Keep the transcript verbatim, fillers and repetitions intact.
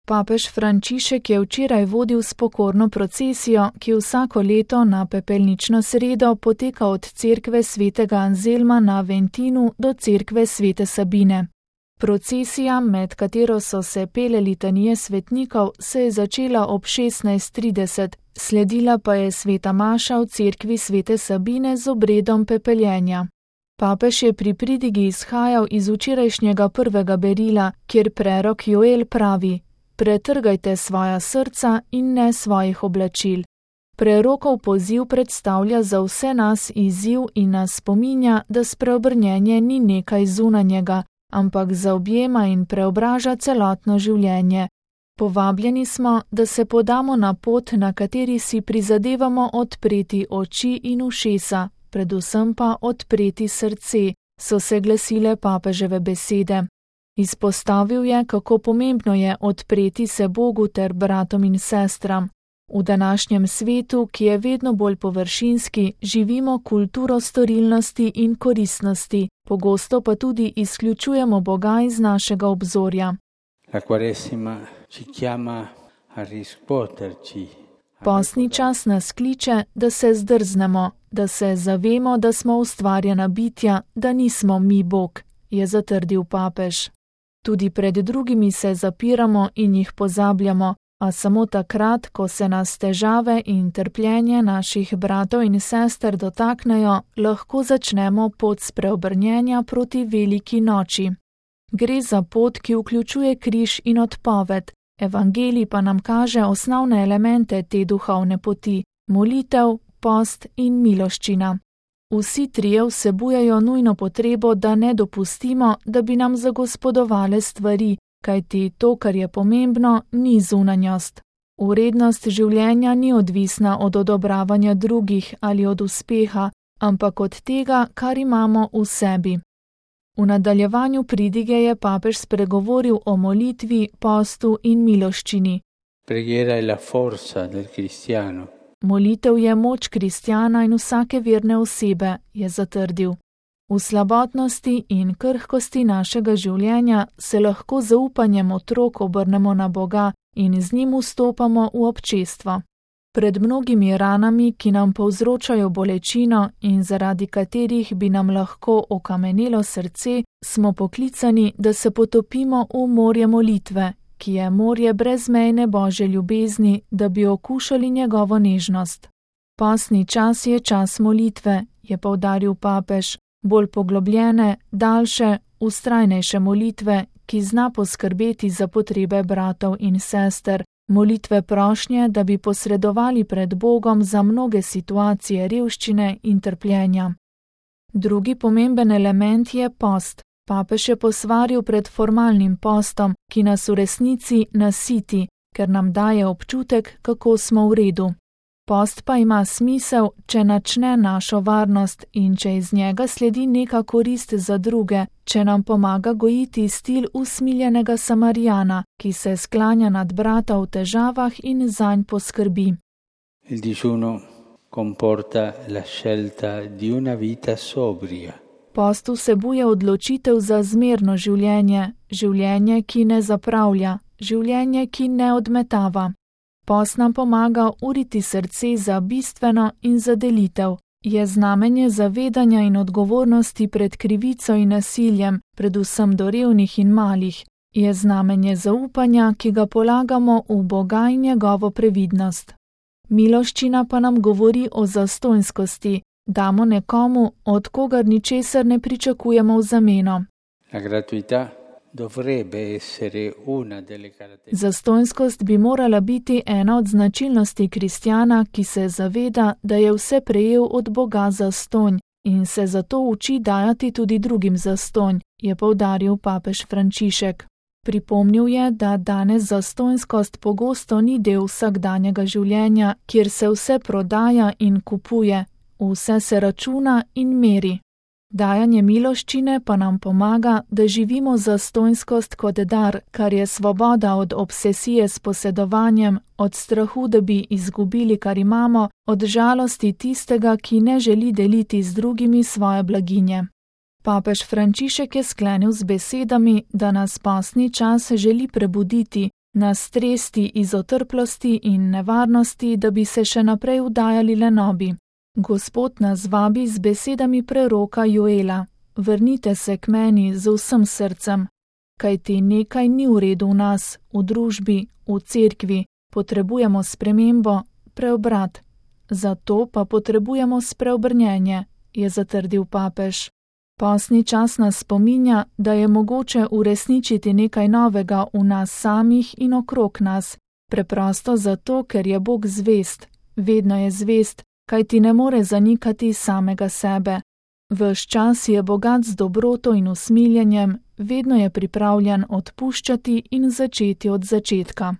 Papež Frančišek je včeraj vodil spokorno procesijo, ki vsako leto na pepelnično sredo poteka od cerkve svetega Anzelma na Ventinu do cerkve svete Sabine. Procesija, med katero so se pele litanije svetnikov, se je začela ob šestnajst trideset, sledila pa je sveta maša v cerkvi svete Sabine z obredom pepeljenja. Papež je pri pridigi izhajal iz včerajšnjega prvega berila, kjer prerok Joel pravi: Pretrgajte svoja srca in ne svojih oblačil. Prerokov poziv predstavlja za vse nas izziv in nas spominja, da spreobrnjenje ni nekaj zunanjega, ampak zaobjema in preobraža celotno življenje. Povabljeni smo, da se podamo na pot, na kateri si prizadevamo odpreti oči in ušesa, predvsem pa odpreti srce, so se glasile papeževe besede. Izpostavil je, kako pomembno je odpreti se Bogu ter bratom in sestram. V današnjem svetu, ki je vedno bolj površinski, živimo kulturo storilnosti in koristnosti, pogosto pa tudi izključujemo Boga iz našega obzorja. La Quaresima ci chiama a rispoterci. Postni čas nas kliče, da se zdrznemo, da se zavemo, da smo ustvarjena bitja, da nismo mi Bog, je zatrdil papež. Tudi pred drugimi se zapiramo in jih pozabljamo, a samo takrat, ko se nas težave in trpljenje naših bratov in sester dotaknejo, lahko začnemo pot spreobrnjenja proti veliki noči. Gre za pot, ki vključuje križ in odpoved. Evangelij pa nam kaže osnovne elemente te duhovne poti: molitev, post in miloščina. Vsi trije vsebujejo nujno potrebo, da ne dopustimo, da bi nam zagospodovale stvari, kajti to, kar je pomembno, ni zunanjost. Vrednost življenja ni odvisna od odobravanja drugih ali od uspeha, ampak od tega, kar imamo v sebi. V nadaljevanju pridige je papež spregovoril o molitvi, postu in miloščini. Preghiera è la forza del cristiano. Molitev je moč kristjana in vsake verne osebe, je zatrdil. V slabotnosti in krhkosti našega življenja se lahko z zaupanjem otrok obrnemo na Boga in z njim vstopamo v občestvo. Pred mnogimi ranami, ki nam povzročajo bolečino in zaradi katerih bi nam lahko okamenelo srce, smo poklicani, da se potopimo v morje molitve, ki je morje brezmejne Božje ljubezni, da bi okušali njegovo nežnost. Postni čas je čas molitve, je poudaril papež, bolj poglobljene, daljše, vztrajnejše molitve, ki zna poskrbeti za potrebe bratov in sester, molitve prošnje, da bi posredovali pred Bogom za mnoge situacije revščine in trpljenja. Drugi pomemben element je post. Papež je posvaril pred formalnim postom, ki nas v resnici nasiti, ker nam daje občutek, kako smo v redu. Post pa ima smisel, če načne našo varnost in če iz njega sledi neka korist za druge, če nam pomaga gojiti stil usmiljenega Samarijana, ki se sklanja nad brata v težavah in zanj poskrbi. Il digiuno comporta la scelta di una vita sobria. Post vsebuje odločitev za zmerno življenje, življenje, ki ne zapravlja, življenje, ki ne odmetava. Post nam pomaga uriti srce za bistveno in za delitev. Je znamenje zavedanja in odgovornosti pred krivico in nasiljem, predvsem do revnih in malih. Je znamenje zaupanja, ki ga polagamo v Boga in njegovo previdnost. Miloščina pa nam govori o zastonjskosti. Damo nekomu, od kogar ničesar ne pričakujemo v zameno. La gratuità dovrebbe essere una delle caratteristiche. Zastonjskost bi morala biti ena od značilnosti kristjana, ki se zaveda, da je vse prejel od Boga zastonj in se zato uči dajati tudi drugim zastonj, je poudaril papež Frančišek. Pripomnil je, da danes zastonjskost pogosto ni del vsakdanjega življenja, kjer se vse prodaja in kupuje. Vse se računa in meri. Dajanje miloščine pa nam pomaga, da živimo zastonjskost kot dar, kar je svoboda od obsesije s posedovanjem, od strahu, da bi izgubili, kar imamo, od žalosti tistega, ki ne želi deliti z drugimi svoje blaginje. Papež Frančišek je sklenil z besedami, da nas postni čas želi prebuditi, nas tresti iz otrplosti in nevarnosti, da bi se še naprej vdajali lenobi. Gospod nas vabi z besedami preroka Joela: vrnite se k meni z vsem srcem, kajti nekaj ni v redu v nas, v družbi, v cerkvi, potrebujemo spremembo, preobrat. Zato pa potrebujemo spreobrnjenje, je zatrdil papež. Postni čas nas spominja, da je mogoče uresničiti nekaj novega v nas samih in okrog nas, preprosto zato, ker je Bog zvest, vedno je zvest, kajti ne more zanikati samega sebe. Ves čas je bogat z dobroto in usmiljenjem, vedno je pripravljen odpuščati in začeti od začetka.